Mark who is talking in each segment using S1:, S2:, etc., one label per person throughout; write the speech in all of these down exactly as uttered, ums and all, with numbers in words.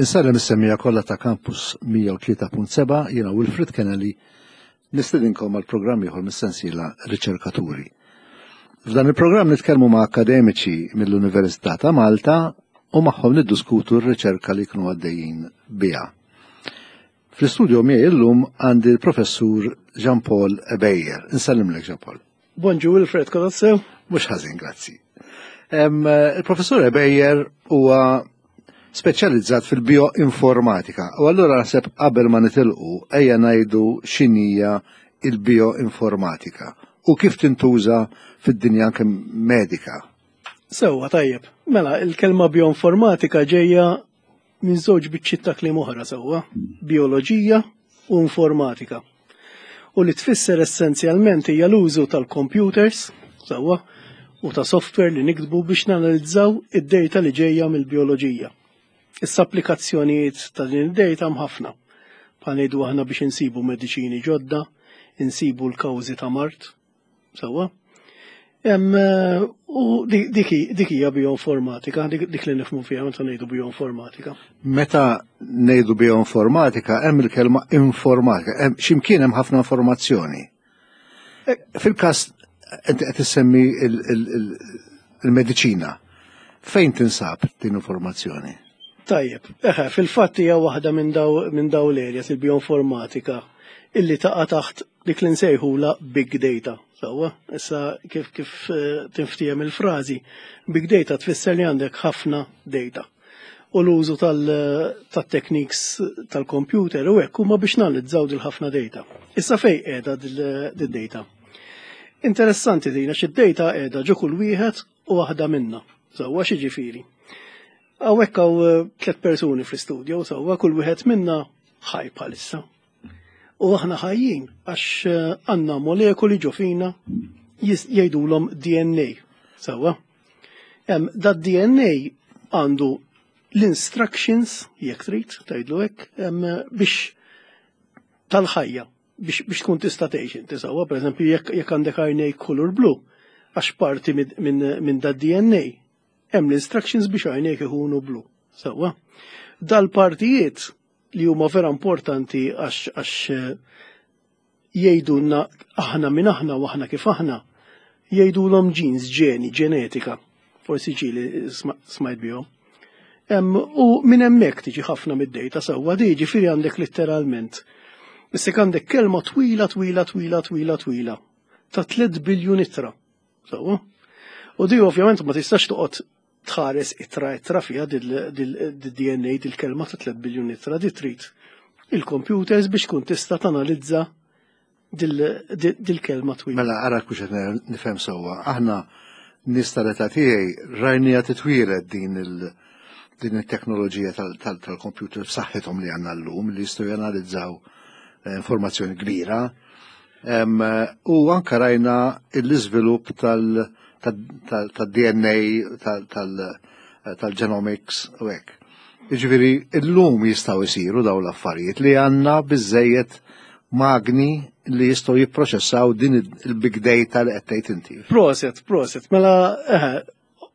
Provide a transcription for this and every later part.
S1: Insellem is-semmiegħa kollha ta' Campus mija u tlieta punt seba', jiena Wilfred Kennelly, nistedinkom għal programm ieħor mis-sensiela Riċerkaturi. F'dan il-programm nitkellmu ma' akademiċi mill-Università ta' Malta u magħhom niddiskutu r-riċerka li jkunu għaddejjin biha. Fl-istudio miegħi illum għandi l-Professur Jean-Paul Ebejer. Insellimlek, Jean-Paul.
S2: Bonġu Wilfred, kollox sew?
S1: Mhux ħażin, grazzi. Il-Professur Ebejer huwa speċjalizzat fil-bioinformatika. U allura naħseb qabel ma nitilqu ejja ngħidu x'inhija il-bioinformatika u kif tintuża fid-dinja anke medika.
S2: Sewwa, tajjeb. Mela, il-kelma bioinformatika ġejja minn żewġ biċċiet ta' kliem oħra, sewwa, bioloġija u informatika. U li tfisser essenzjalment hija l-użu tal-computers, sewwa, u ta' software li niktbu biex nanalizzaw id-data li ġejja mill-bioloġija. Issa, applikazzjonijiet ta' din id-data ħafna. Bħal ngħidu aħna biex insibu mediċini ġodda, insibu l-kawżi ta' mard, sewwa. U dik hija bioinformatika, dik li nifhmu fiha meta ngħidu bioinformatika.
S1: Meta ngħidu bioinformatika hemm il-kelma informatika, hemm x'imkien hemm ħafna informazzjoni. Eh, fil-każ inti qed issemmi il-mediċina, fejn tinsab din informazzjoni?
S2: Tajjeb, eħe, fil-fatt hija waħda minn daw minn daw l-areas, il-bioinformatika, illi taqa' taħt dik li nsejħula big data. Sewwa, issa kif kif eh, tinftiehem il-frażi, big data tfisser li għandek ħafna data. U l-użu tal-techniques tal-computer u hekk huma biex nanalizzaw dil ħafna data. Issa, fej qiegħda dil-data? Interessanti din, għax id-data qiegħda ġo kull wieħed u waħda minna. Sewwa, x'jiġifieri? Hawnhekk hawn eh, tliet persuni fl-istudio, sewwa, kull wieħed minna ħaj bħalissa. U aħna ħajjin għax eh, għandna molekoli ġo fina jgħidulhom D N A. Sewwa. Da D N A għandu l-instructions, jekk trid, tgħidlu hekk, biex tal-ħajja, biex, biex tkun tista' tgħix inti, sewwa. Pereżempju, jekk jekk għandek għajnejk kulur blu, għax parti minn min, min da D N A hemm l-instructions biex għajnejk ikunu blu. Sewwa. Dal-partijiet li huma vera importanti għax għax eh, jgħidulna aħna min aħna u aħna kif aħna, jgħidulhom genes, ġeni, ġenetika. Forsi ġieli smajt bihom. U minn hemmhekk tiġi ħafna mid-data, sewwa, di ġifieri għandek letteralment. Issa għandek kelma twila, twila, twila, twila, twila ta' tliet biljun ittra. Sewwa. U di ovvjament ma tistax toqgħod tħares ittra ittra fiha dil-D N A, dil-kelma ta' tliet biljun ittra, di trid il-computers biex tkun tista' tanalizza dil-kelma twila.
S1: Mela, ara kux qed nifhem sewwa. Aħna nies tal-età tiegħi rajnija titwieled din il- din it-teknoloġija tal-computer b'saħħithom li għandna llum li jistgħu janalizzaw eh, informazzjoni kbira. U anka rajna l-iżvilupp tal- tal-D N A, tal-genomics u hekk. Jiġifieri illum jistgħu jsiru daw l-affarijiet li għandna biżejjed magni li jistgħu jipproċessaw din il-big data li qed tgħid inti.
S2: Proset, proset. Mela, eh,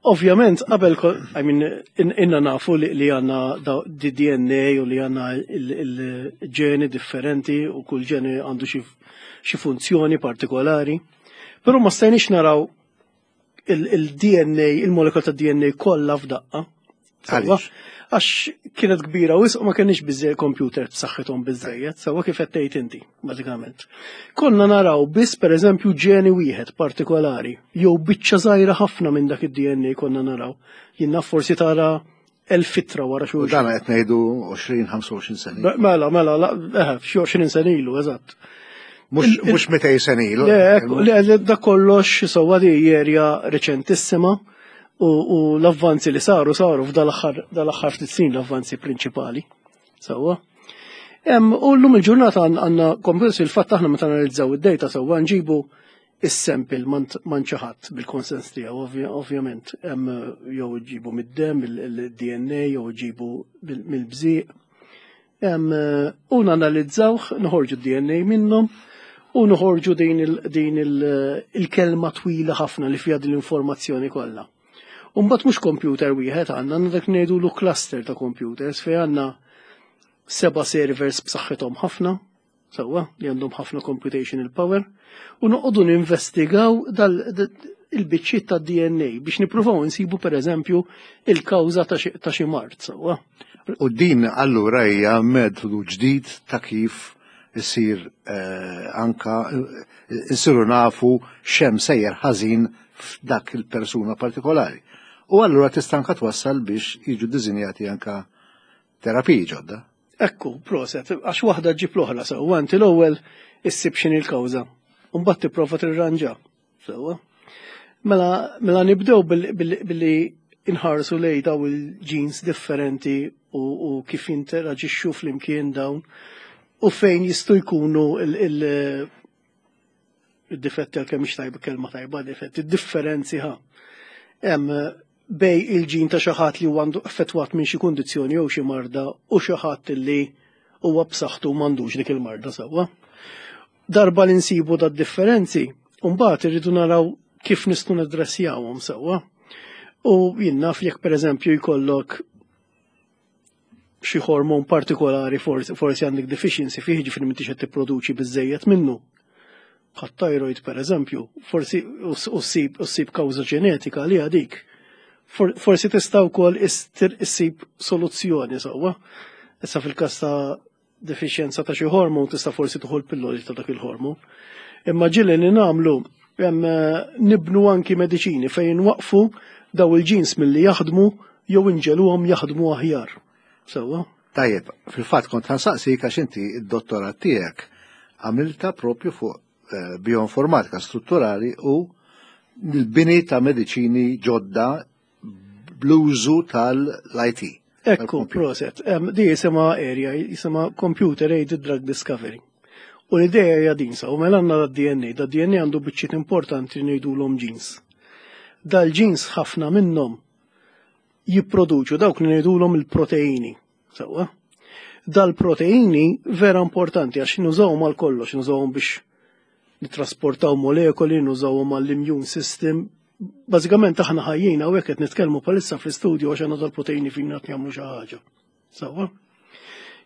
S2: ovvjament, qabel, I mean, inna nafu li għandna D N A u li għandna il-ġeni differenti u kull ġeni għandu xi funzjoni partikolari. Però ma stajniex naraw il-D N A, il-molekol ta' D N A kollha f'daqqa. Għax kienet kbira u ma kienx biżejjed computer b'saħħithom biżejjed, sewwa, kif qed tgħid inti, bażikament. Konna naraw biss, pereżempju, ġeni wieħed partikolari, jew biċċa żgħira ħafna minn dak id-D N A konna naraw. Jiena forsi tara elf ittra wara xulxin.
S1: U dan qed ngħidu għoxrin, ħamsa u għoxrin sena.
S2: Mela, mela, eh, xi għoxrin sena ilu, eżatt.
S1: Mhux mitejn sena ilu.
S2: Le, le, da kollox, sewwa, di area reċentissima u l-avvanzi li saru saru f'dal-aħħar ftit snin, l-avvanzi prinċipali. Sewwa. U llum il-ġurnata għandna computers, il-fatt aħna meta analizzaw id-data, sewwa, nġibu is-sample minn xi ħadd bil-konsens tiegħu, ovvjament, jew ġibu mid-dem il-D N A jew ġibu mill-bżieq. U nanalizzawh, noħorġu d-D N A minnhom u noħorġu din il-kelma twila ħafna li fiha din l-informazzjoni kollha. U mbagħad mhux computer wieħed għandna, għandna dak ngħidulu cluster ta' computers fejn għandna seba' servers b'saħħithom ħafna, sewwa, li għandhom ħafna computational power, u noqogħdu ninvestigaw dal il-biċċiet ta' D N A biex nippruvaw insibu, per eżempju, il-kawża ta' xi mard, sewwa.
S1: U din allura hija metodu ġdid ta' kif isir eh, anka insiru nafu x'hemm sejjer ħażin f'dak il-persuna partikolari. U allura tista' anka twassal biex jiġu dizinjati anka terapiji ġodda.
S2: Ekku, proset, għax waħda ġib l-oħra, sewwa. Inti l-ewwel issib x'inhi l-kawża u mbagħad tipprova tirranġa. Sewwa. Mela, mela nibdew billi inħarsu lej daw il-genes differenti u, u kif jinteraġixxu flimkien dawn u fejn jistgħu jkunu il-difetti, għal kemm tajba kelma tajba difetti, differenzi ħa. Hemm bejn il-ġin ta' xi ħadd li huwa għandu effettwat minn xi kundizzjoni jew xi marda u xi ħadd li huwa b'saħħtu m'għandux dik il-marda, sewwa. Darba li nsibu da differenzi, mbagħad irridu naraw kif nistgħu nadressjawhom, sewwa. U jien naf, jekk pereżempju jkollok xi hormon partikolari, forsi, forsi għandek deficiency fih, ġifieri m'intix qed tipproduċi biżejjed minnu. Bħat-thyroid, per eżempju, forsi u ssib kawża ġenetika li għadik. Forsi tista' wkoll issib soluzzjoni, sewwa. Issa fil-każ ta' deficienza ta' xi hormon tista' forsi tieħu l-pilloli ta' dak il-hormon. Imma ġieli li nagħmlu nibnu anki mediċini fejn waqfu daw il-genes milli jaħdmu jew inġegħluhom jaħdmu aħjar. Sewwa?
S1: Tajjeb, fil-fatt kont ħa nsaqsik għax inti id-dottorat tiegħek għamilta propju fuq eh, bioinformatika strutturali u l-bini ta' mediċini ġodda bl-użu tal-I T.
S2: Ekku, proset. Di jisimha area, jisimha Computer Aided Drug Discovery. U l-ideja hija din sa, u mela għandna da D N A, da D N A għandu biċċiet importanti li ngħidulhom genes. Dal-genes ħafna minnhom jipproduċu dawk li ngħidulhom il-proteini. Sewwa? Dal-proteini vera importanti għax nużawhom għal kollox, nużawhom biex nitrasportaw molekoli, nużawhom għall-immune system. Bażikament aħna ħajjin hawnhekk qed nitkellmu bħalissa fl-istudio għax għandna dal-proteini fina qed jagħmlu xi ħaġa. Sewwa?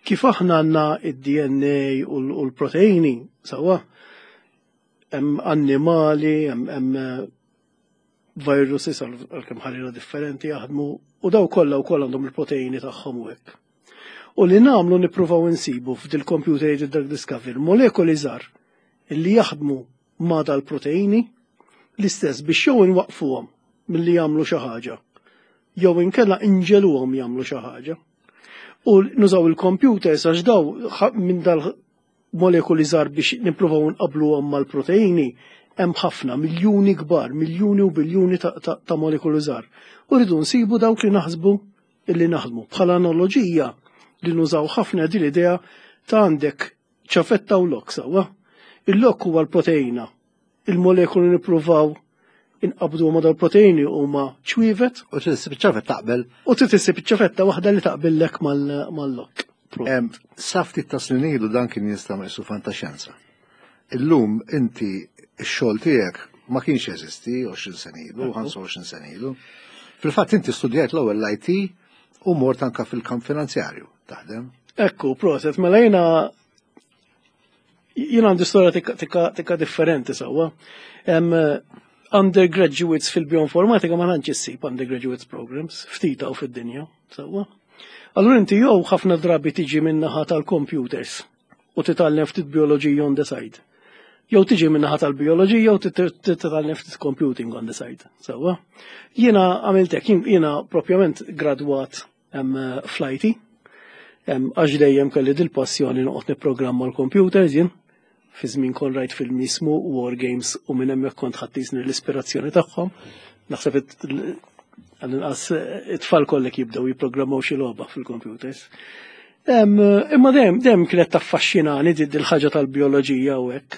S2: Kif aħna għandna id-D N A u l-proteini, sewwa, hemm annimali, hemm viruses, għalkemm ħarira differenti jaħdmu, u daw kollha wkoll għandhom il-proteini tagħhom u hekk. U li nagħmlu, nippruvaw insibu f'dil computer aided drug discovery molekoli żgħar illi jaħdmu ma' dal-proteini l-istess biex jew inwaqfuhom milli jagħmlu xi ħaġa jew inkella inġegħluhom jagħmlu xi ħaġa. U nużaw il-computers għax daw minn dal molekoli żgħar biex nippruvaw nqabluhom mal-proteini hemm ħafna, miljuni kbar, miljuni u biljuni ta', ta, ta molekoli żgħar. U rridu nsibu dawk li naħsbu illi naħdmu. Bħala analoġija li nużaw ħafna din l-idea ta' għandek ċavetta u lock, sewwa. Il-lock huwa l-proteina. Il-molekoli nippruvaw inqabdu ma dal-proteini huma ċwievet.
S1: U trid ċavetta taqbel.
S2: U trid issib ċavetta waħda li taqbillek mal-lock.
S1: Sa ftit ta' snin ilu dan kien jista' qisu fantaxjenza. Illum inti x-xogħol tiegħek ma kienx jeżisti għoxrin sena ilu, ħamsa u għoxrin sena ilu. Fil-fatt inti studjajt l-ewwel l-I T u mort anka fil-kamp finanzjarju taħdem.
S2: Ekku, proset, mela jiena jiena għandi storja tikka, tikka differenti, sewwa. Undergraduates fil-bioinformatika ma tantx issib undergraduates programs, ftit u fid-dinja, sewwa. Allura inti jew ħafna drabi tiġi min-naħa tal-computers u titgħallem ftit bioloġija on the side. Jew tiġi min-naħa tal-bioloġija u titgħallem ftit computing on the side. Sewwa. Jiena għamilt hekk, jiena propjament gradwat fl-I T, għax dejjem kelli dil-passjoni noqgħod nipprogramma l-computers jien. Fi żmien kon rajt film jismu War Games u minn hemmhekk kont ħadd l-ispirazzjoni tagħhom. Naħseb għall-inqas it-tfal kollek jibdew jipprogrammaw xi logħba fil-computers. Imma dejjem dejjem kienet taffaxxinani dil-ħaġa tal-bioloġija u hekk.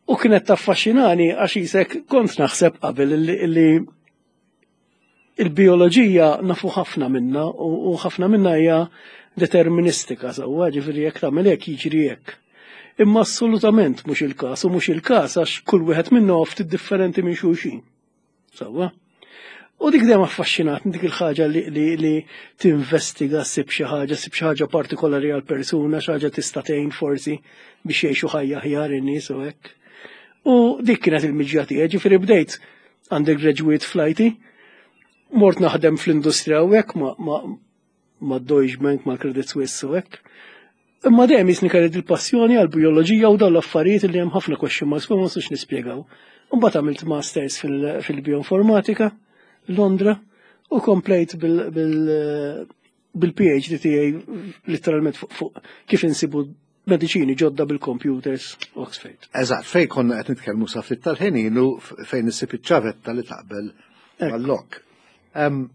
S2: U kienet taffaxxinani għax isek kont naħseb qabel li il-bioloġija nafu ħafna minna u ħafna minna hija deterministika, sewwa, ġifieri jekk tagħmel hekk jiġri hekk. Imma assolutament mhux il-każ, u mhux il-każ għax kull wieħed minna ftit differenti minn xulxin. Sewwa. U dik dejjem affaxxinat dik il-ħaġa li, li, li tinvestiga, ssib xi ħaġa, ssib xi ħaġa partikolari għal persuna, xi ħaġa tista' tgħin forsi biex jgħixu ħajja aħjar in-nies u hekk. U dik kienet il-miġja tiegħi, ġifieri bdejt undergraduate fl-I T, mort naħdem fl-industrija u hekk ma, ma, ma Deutsche Bank, ma Credit Suisse u hekk. Imma dejjem jisni kelli il-passjoni għal bioloġija u dawn l-affarijiet li hemm ħafna question marks ma nistgħux nispjegaw. Mbagħad għamilt masters fil- fil-bioinformatika Londra u komplejt bil-P H D tiegħi literalment fuq fuq kif insibu mediċini ġodda bil-computers, Oxford.
S1: Eżatt, fejn konna qed nitkellmu sa ftit tal-ħin ilu, fejn issib iċ-ċavetta li taqbel mal-lock. Em,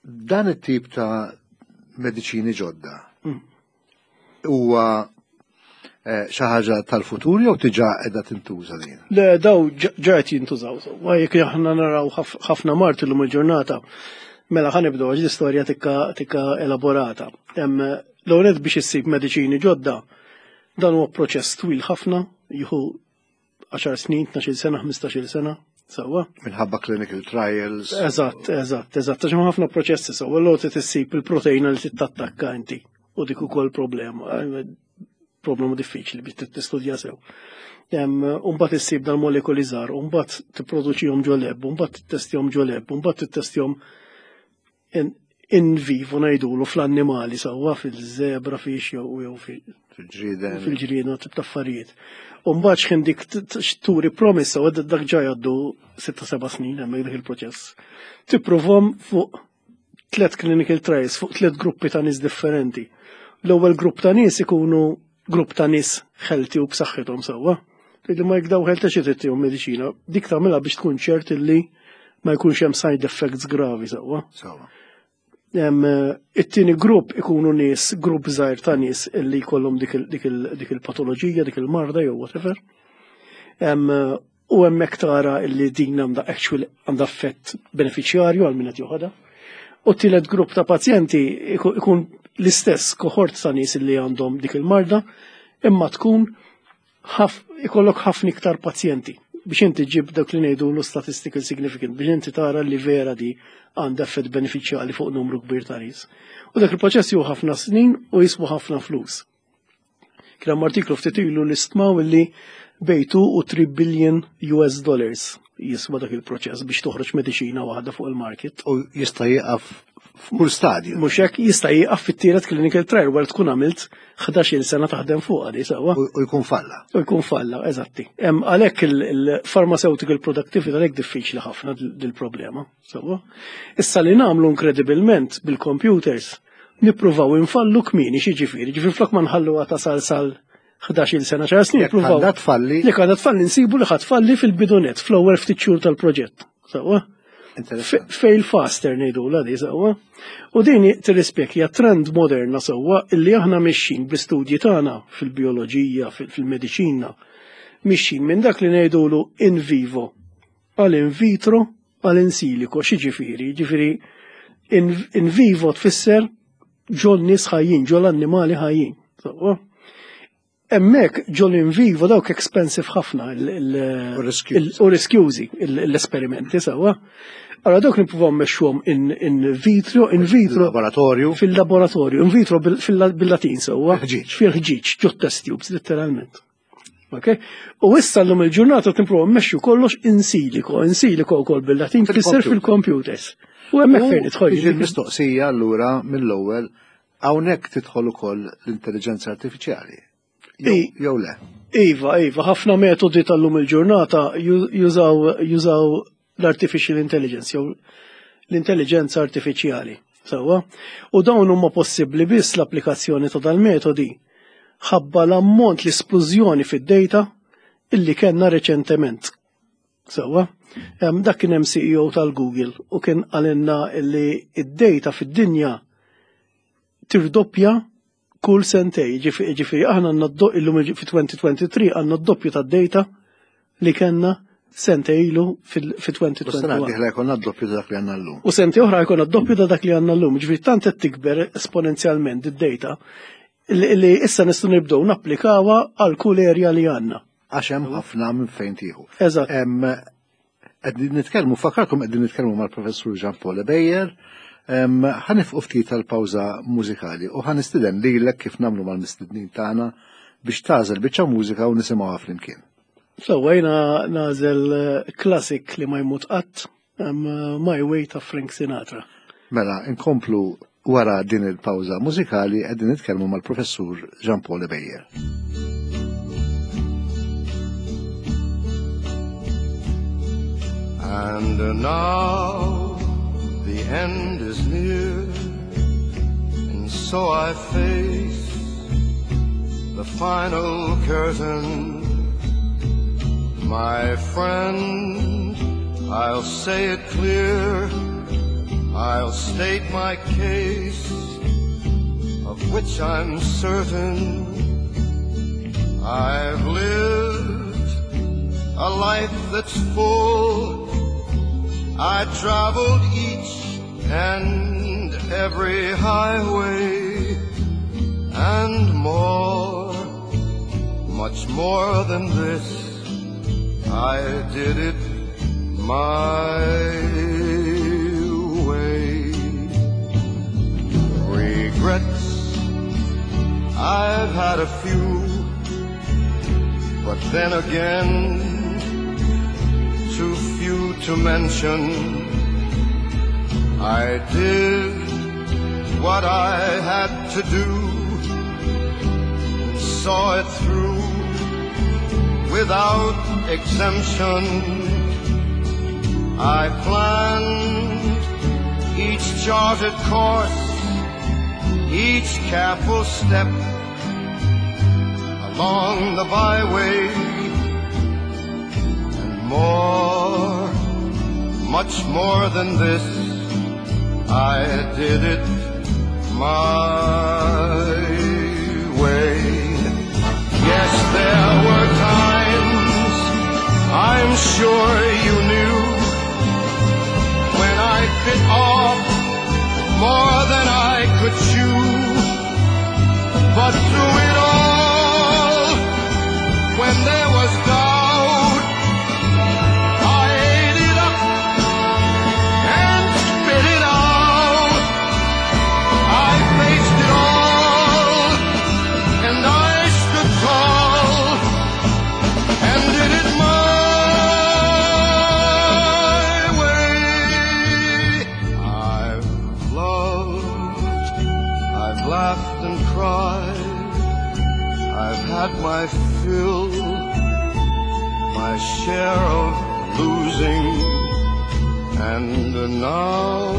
S1: Dan it-tip ta' mediċini ġodda
S2: Mm.
S1: huwa eh, xi ħaġa tal-futur jew diġà qiegħda tintuża din?
S2: Le, daw ġa qed jintużaw. Wa jekk aħna naraw ħaf- ħafna mard illum il-ġurnata, mela ħa nibdew għax l-istorja tikka tikka elaborata. Hemm l-ewwel biex issib mediċini ġodda, dan huwa proċess twil ħafna, jieħu għaxar snin, tnax-il sena, ħmistax-il sena, sewwa.
S1: Minħabba clinical trials.
S2: Eżatt, eżatt, eżatt, għax hemm ħafna proċessi sewwa, l issib il-proteina li tittattakka inti u dik ukoll problema, problema diffiċli biex tistudja sew. Umbagħad issib dal-molekoli żgħar, umbagħad tipproduċihom ġo lab, umbagħad tittestjahom ġo lab, umbagħad tittestjahom in, in vivo ngħidulu fl-annimali sewwa, fil-zebra fish jew jew fi-
S1: Fil-ġrieden.
S2: Fil-ġrieden u tip ta' affarijiet. Umbagħad x'ħin dik t- t- turi promise u dak ġa jgħaddu sitta seba' snin hemmhekk dak il-proċess. Tipprovhom fuq tliet clinical trials, fuq tliet gruppi ta' nies differenti. L-ewwel grupp ta' nies ikunu grupp ta' nies healthy u b'saħħithom sewwa. Tgħidli ma jekk daw healthy xi trid mediċina, dik tagħmilha biex tkun ċert illi ma jkunx hemm side effects gravi sewwa.
S1: Sewwa.
S2: Em, It-tieni grupp ikunu nies, grupp żgħir ta' nies illi jkollhom dik il- dik il- dik il-patoloġija, dik il-marda jew whatever. Em, U hemmhekk tara illi din għandha actual għandha effett benefiċjarju għal min qed joħodha. U t-tielet grupp ta' pazjenti iku- ikun l-istess kohort ta' nies illi għandhom dik il-marda, imma tkun ħaf, ikollok ħafna iktar pazjenti biex inti ġib dak li ngħidu l statistical significant, biex inti tara li vera di għandha effett benefiċjali fuq numru kbir ta' nies. U dak il-proċess jieħu ħafna snin u jiswa ħafna flus. Kien hemm artiklu ftit ilu li stmaw li bejn two u three billion U S dollars jiswa dak il-proċess biex toħroġ mediċina waħda fuq il-market.
S1: U jista' jieqaf f'kull stadju.
S2: Mhux hekk, jista' jieqaf fit-tielet clinical trial wara tkun għamilt ħdax-il sena taħdem fuqha di sewwa.
S1: U u jkun falla.
S2: U jkun falla, eżatti. Em, Għalhekk il-pharmaceutical productivity għalhekk diffiċli ħafna dil-problema. Sewwa. Issa li nagħmlu inkredibilment bil-computers, nippruvaw infallu kmieni. Xi ġifieri, ġifieri flok ma nħallu tasal sal ħdax-il sena, għaxar snin,
S1: Jekk
S2: nippruvaw.
S1: għandha tfalli.
S2: Jekk għandha tfalli nsibu li ħa tfalli fil-bidu nett, fl-ewwel ftit xhur tal-proġett. Sewwa.
S1: Interessanti.
S2: Fail faster ngħidu la di sewwa. U din tirrispekja trend moderna sewwa illi aħna mixin bl-istudji tagħna fil-bioloġija, fil-mediċina, mixin minn dak li ngħidulu in vivo għal in vitro għal in silico. Xi ġifieri? Ġifieri in, in vivo tfisser ġol nies ħajjin, ġol annimali ħajjin. Sewwa. Hemmhekk ġol in vivo dawk expensive ħafna il- il-
S1: U riskjużi.
S2: il- u riskjużi il- l-esperimenti sewwa. Allora dawk nippruvaw mmexxuhom in, in vitro, in vitro
S1: Laboratorju.
S2: Fil-laboratorju, in vitro bil- fil- bil-Latin sewwa.
S1: Fil-ħġieġ.
S2: Fil-ħġieġ, ġo test tubes, letteralment. Ok? U issa l-lum il-ġurnata tippruvaw mmexxu kollox in silico, in silico wkoll bil-Latin tfisser fil-computers. U hemmhekk fejn
S1: Tiġi
S2: idħol.
S1: l-mistoqsija allura mill-ewwel, hawnhekk tidħol ukoll l-intelligenza artifiċjali. Jew
S2: I-
S1: jew le.
S2: Iva, iva, ħafna metodi tal-lum il-ġurnata ju- jużaw jużaw l-artificial intelligence jew l-intelligenza artifiċjali. Sewwa? U dawn huma possibbli biss l-applikazzjoni ta' dal-metodi ħabba l-ammont, l-esplużjoni fid-data illi kellna reċentement. Sewwa? Em, Dak kien hemm C E O tal-Google u kien qalilna illi id-data fid-dinja tirdoppja kull sentej. Ġifieri ġifieri aħna għandna d- illum fi elfejn u tlieta u għoxrin għandna d-doppju tad-data li kellna sentej ilu
S1: U
S2: fi
S1: sena
S2: elfejn u wieħed u għoxrin.
S1: dieħla jkollna d-doppju ta' dak li għandna llum.
S2: U sentej oħra jkollna d-doppju ta' dak li għandna llum. Ġifieri tant qed tikber esponenzjalment id-data li li issa nistgħu nibdew napplikawha għal kull area li għandna.
S1: Għax hemm ħafna minn fejn tieħu.
S2: Eżatt.
S1: Hemm Qegħdin nitkellmu, fakkarkom qegħdin nitkellmu mal-Professur Jean Paul Ebejer. Ħa nieqfu ftit tal-pawża mużikali u ħa nistieden lilek kif nagħmlu mal-mistednin tagħna biex tagħżel biċċa mużika u nisimgħuha flimkien.
S2: So, jiena nagħżel classic li ma jmut qatt, My Way ta' Frank Sinatra.
S1: Mela, inkomplu wara din il-pawża mużikali qegħdin nitkellmu mal-Professur Jean Paul Ebejer.
S3: And now the end is near, and so I face the final curtain. My friend, I'll say it clear, I'll state my case, of which I'm certain. I've lived a life that's full. I traveled each and every highway and more, much more than this. I did it my way. Regrets, I've had a few, but then again, too few to mention. I did what I had to do and saw it through without exemption. I planned each charted course, each careful step along the byway, and more, much more than this, I did it my way. Yes, there were times, I'm sure you knew, when I bit off more than I could chew. But through it all, when there was doubt, I ate it up and spit it out. I faced it all, and I stood tall, and did it my way. I've loved, I've laughed and cried, I've had my fill, my share of losing, and now,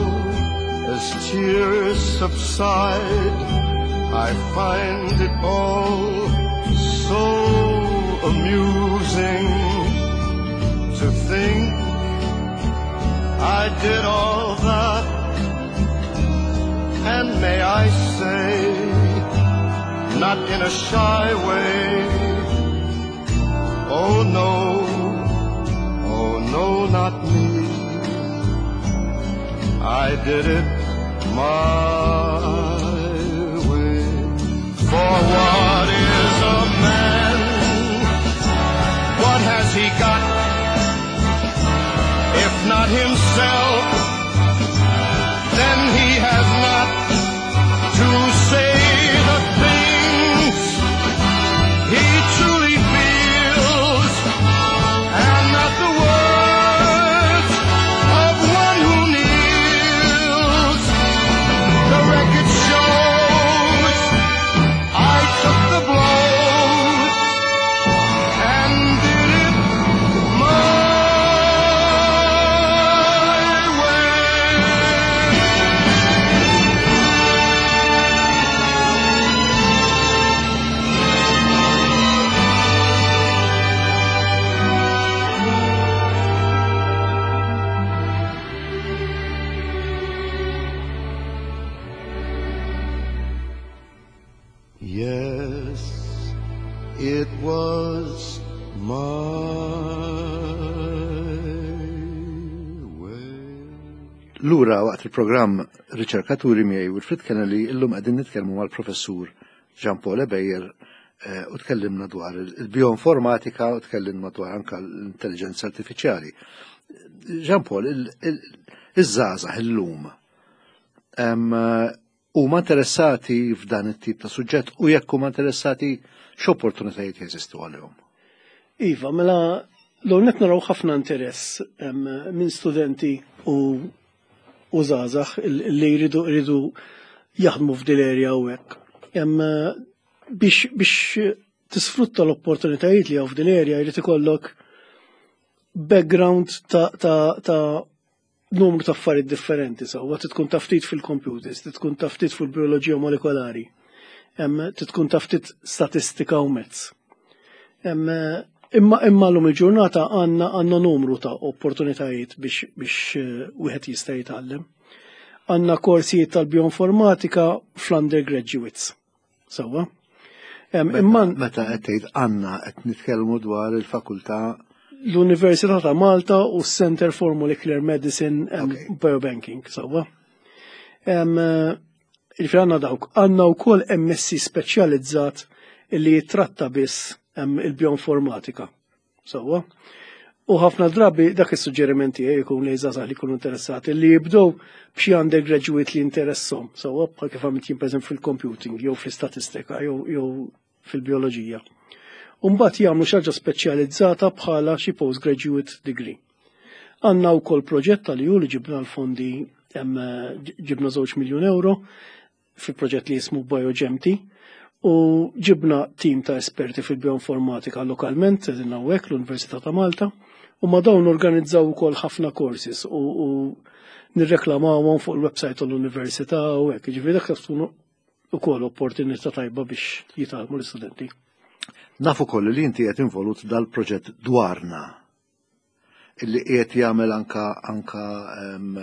S3: as tears subside, I find it all so amusing to think I did all that, and may I say, not in a shy way. Oh no, oh no, not me. I did it my way. For what is a man? What has he got? If not himself, then he has not to say the things he truly feels, and not the words of one who kneels. The record shows I took the blows and did it my way. Yes, it was my way.
S1: Lura waqt il-programm Riċerkaturi miegħi Wilfred Kennelly, illum qegħdin nitkellmu mal-Professur Jean Paul Ebejer u tkellimna dwar il-bioinformatika u tkellimna dwar anka l-intelligenza artifiċjali. Jean Paul, iż-żgħażagħ illum huma interessati f'dan it-tip ta' suġġett u jekk huma interessati, x'opportunitajiet jeżistu għalihom?
S2: Iva, mela l-għonet naraw ħafna interess minn studenti u u żgħażagħ li jridu jridu jaħdmu f'dil area u hekk. Biex biex tisfrutta l-opportunitajiet li hawn f'dil area jrid ikollok background ta', ta, ta numru ta' affarijiet differenti, sewwa, tkun taf ftit fil-computers, tkun taf ftit fil-bioloġija molekolari, tkun taf ftit statistika u mezz. Imma imma l-lum il-ġurnata għandna għandna numru ta' opportunitajiet biex biex eh, wieħed jista' jitgħallem. Għandna korsijiet tal-bioinformatika fl-undergraduates. Sewwa.
S1: Imma meta qed tgħid għandna, qed nitkellmu dwar il-fakultà?
S2: L-Università ta' Malta u Center for Molecular Medicine and okay. Biobanking, sewwa. Il-fi għandna dawk. Għandna wkoll M S C speċjalizzat illi jitratta biss il-bioinformatika. Sewwa. U ħafna drabi dak is-suġġerimenti jkun li żgħażagħ li jkunu interessati li jibdew b'xi undergraduate li interessom, sewwa, bħal kif għamilt jien, pereżempju, fil-computing jew fl-istatistika jew fil-bioloġija. U mbagħad jagħmlu xi ħaġa speċjalizzata bħala xi postgraduate degree. Għandna wkoll proġett tal-E U li ġibna l-fondi, ġibna żewġ miljun euro fi proġett li jismu BioGemT u ġibna tim ta' esperti fil-bioinformatika lokalment, qegħdin hawnhekk l-Università ta' Malta, u ma' dawn organizzaw ukoll ħafna courses u, u nirreklamawhom fuq il-website tal-Università u hekk. Ġifieri dak tkun ukoll opportunità tajba biex jitgħallmu l-istudenti.
S1: Nafu koll li inti qed involut dal-proġett Dwarna illi qiegħed jagħmel anka anka um,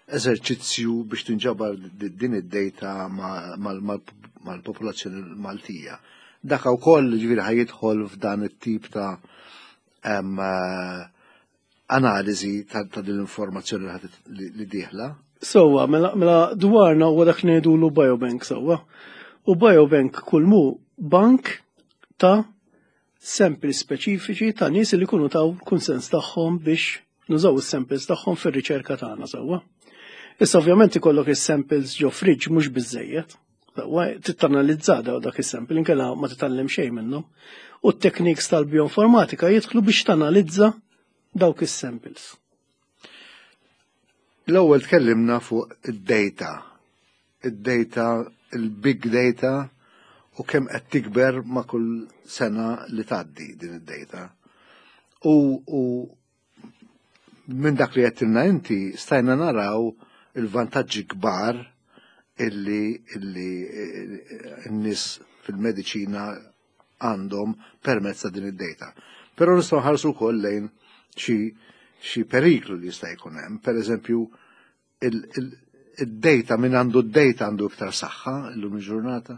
S1: eżerċizzju biex tinġabar din id-data mal-popolazzjoni Maltija. Dak ukoll, ġifieri, ħa jidħol f'dan it-tip ta' um, analiżi ta', ta din l-informazzjoni li, li dieħla.
S2: Sewwa, mela, mela Dwarna huwa dak ngħidulu biobank, sewwa. U biobank kull mu bank ta' samples speċifiċi ta' nies li jkunu taw kunsens tagħhom biex nużaw is-samples tagħhom fir-riċerka tagħna, sewwa. Issa ovvjament ikollok is-samples ġo fridge mhux biżejjed. Sewwa, trid tanalizza dak is-sample, inkella ma titgħallem xejn minnhom. U t-techniques tal-bioinformatika jidħlu biex tanalizza dawk is-samples.
S1: L-ewwel tkellimna fuq id-data. Id-data, il-big data, u kemm qed tikber ma' kull sena li tgħaddi din id-data. U, u minn dak li għedtilna inti stajna naraw il-vantaġġi kbar illi illi eh, n-nies fil-mediċina għandhom permezz ta' din id-data. Però nistgħu nħarsu wkoll lejn xi xi periklu li jista' jkun hemm. Per eżempju, id-data, min għandu d-data għandu iktar saħħa illum il-ġurnata.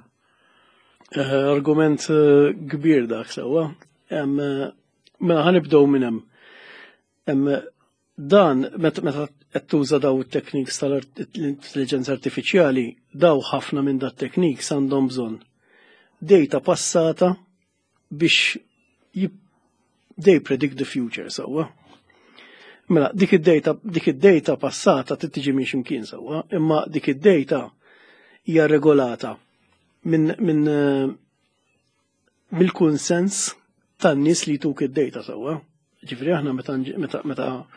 S2: Eh, argument eh, kbir dak, sewwa. Mela ħa nibdew minn hemm. Dan meta qed tuża daw it-techniques tal-intelligenza artifiċjali, daw ħafna minn dat techniques għandhom bżonn data passata biex they predict the future, sewwa. Mela, dik id-data, dik id-data passata trid tiġi minn x'imkien, sewwa, imma dik id-data hija regolata minn min, eh, mill-kunsens tan-nies li tuk id-data, sewwa. Ġifieri aħna meta meta meta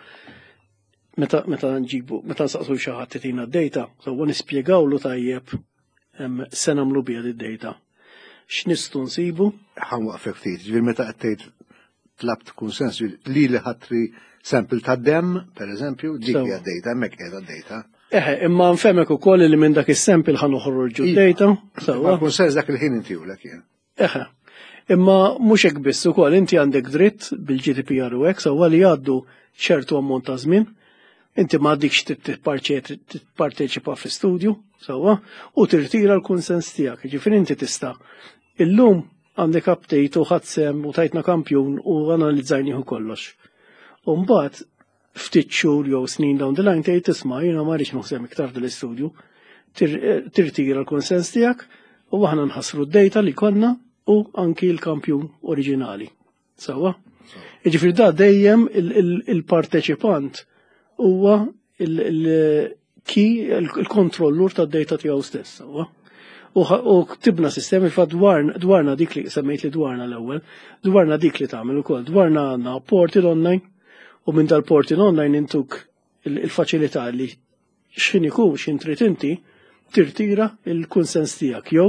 S2: meta meta nġibu, meta nsaqsu xi ħadd itina d-data, sewwa, nispjegawlu tajjeb se nagħmlu biha id-data. X'nistgħu nsibu?
S1: Ħa nwaqfek ftit, ġifieri meta qed tgħid tlabt kunsens li li ħatri sample ta' dem, per eżempju, dik hija data, hemmhekk qiegħda data.
S2: Eħe, imma nfehmek ukoll li minn dak is-sample ħa noħorġu data.
S1: Sewwa. Kunsens dak il-ħin intihulek jien.
S2: Eħe. Imma mhux hekk biss, ukoll inti għandek dritt bil-G D P R u hekk, sewwa, li jgħaddu ċertu ammont ta' żmien, inti ma għadikx tipparteċipa fi studju, sewwa, u tirtira l-kunsens tiegħek. Ġifieri inti tista' illum għandek update u ħadsem u tajtna kampjun u analizzajnieh kollox. U mbagħad ftit xhur jew snin down the line tgħid, "Isma', jiena ma rridx naħsem iktar dil-istudju." Tirtira l-konsens tiegħek u aħna nħassru d-data li konna u anki l-kampjun oriġinali. Sewwa? Jiġifieri da dejjem il-parteċipant huwa il-ki il-kontrollur tad-data tiegħu stess. U ktibna sistemi fa dwarna dik li semmejt li dwarna l-ewwel, dwarna dik li tagħmel ukoll, dwarna għandna portal online u minn dal-portal online intuk il-faċilità li x'ħin ikun x'in trid inti tirtira il-kunsens tiegħek jew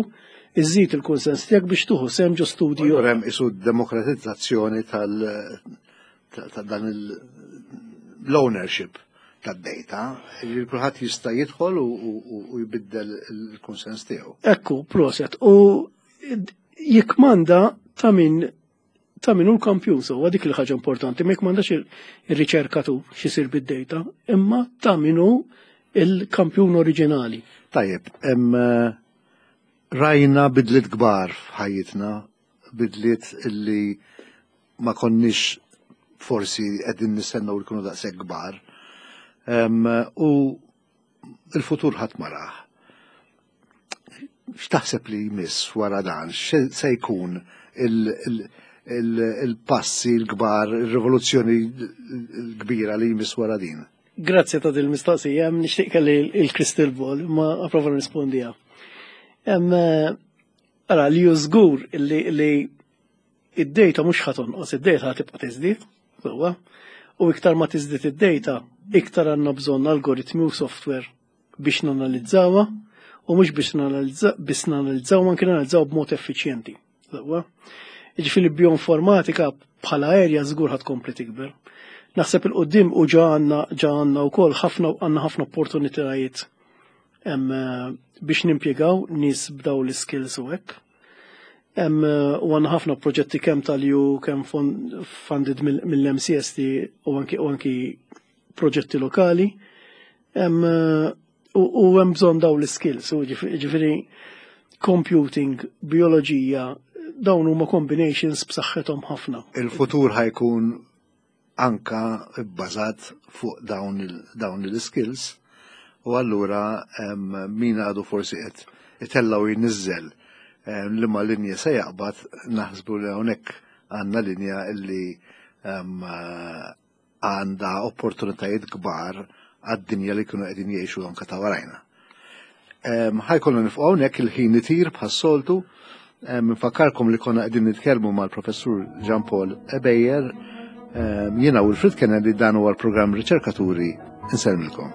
S2: iżżid il-kunsens tiegħek biex tieħu sehem ġo studju.
S1: Hemm isu demokratizzazzjoni tal ta' dan l-ownership tad-data li kulħadd jista' jidħol u jbiddel il-kunsens tiegħu.
S2: Ekku, proset. U jikmanda ta' min ta' min hu l-kampjun so dik il-ħaġa importanti, ma jikmandax ir-riċerkatur x'isir bid-data, imma ta' min hu il-kampjun oriġinali.
S1: Tajjeb, hemm rajna bidliet kbar f'ħajjitna, bidliet illi ma konniex forsi qegħdin nistennew li jkunu daqshekk kbar. U il-futur ħadd ma rah. X'taħseb li jmiss wara dan? Se jkun il-passi l-kbar, il-rivoluzzjoni l-kbira li jmiss wara din?
S2: Grazzi ta' dil-mistoqsija, nixtieq kelli il-crystal ball, ma approva nirrispondiha. Ara, li ju żgur li id-data mhux ħa tonqos, id-data ħa tibqa' tiżdied, sewwa, u iktar ma tiżdied id-data, iktar għandna bżonn algoritmi u software biex nanalizzawha u mhux biex biss nanalizzaw, anke nanalizzaw b'mod effiċjenti. Sewwa. Jiġifieri bioinformatika bħala area żgur ħa tkompli tikber. Naħseb 'il quddiem u ġa għandna ġa għandna wkoll ħafna għandna ħafna opportunitajiet biex nimpjegaw nies b'daw l-skills u hekk. U għandna ħafna proġetti kemm tal-E U, kemm funded mill-M C S T u anki u anki proġetti lokali. U hemm bżonn daw l-skills, u ġifieri computing, bioloġija, dawn huma combinations b'saħħithom ħafna.
S1: Il-futur ħa jkun anka bbażat fuq dawn il-skills u allura min għadu forsi qed itella' u jniżżel li ma linja se jaqbad, naħsbu li hawnhekk għandna linja illi għandha opportunitajiet kbar għad-dinja li kienu qegħdin jgħixu anka ta' warajna. Ħa jkollna nieqfu hawnhekk, il-ħin itir bħas-soltu. Nfakkarkom li konna qegħdin nitkellmu mal-Professur Jean Paul Ebejer. Jiena Wilfred Kennedy, dan huwa l-programm Riċerkaturi, insellmilkom.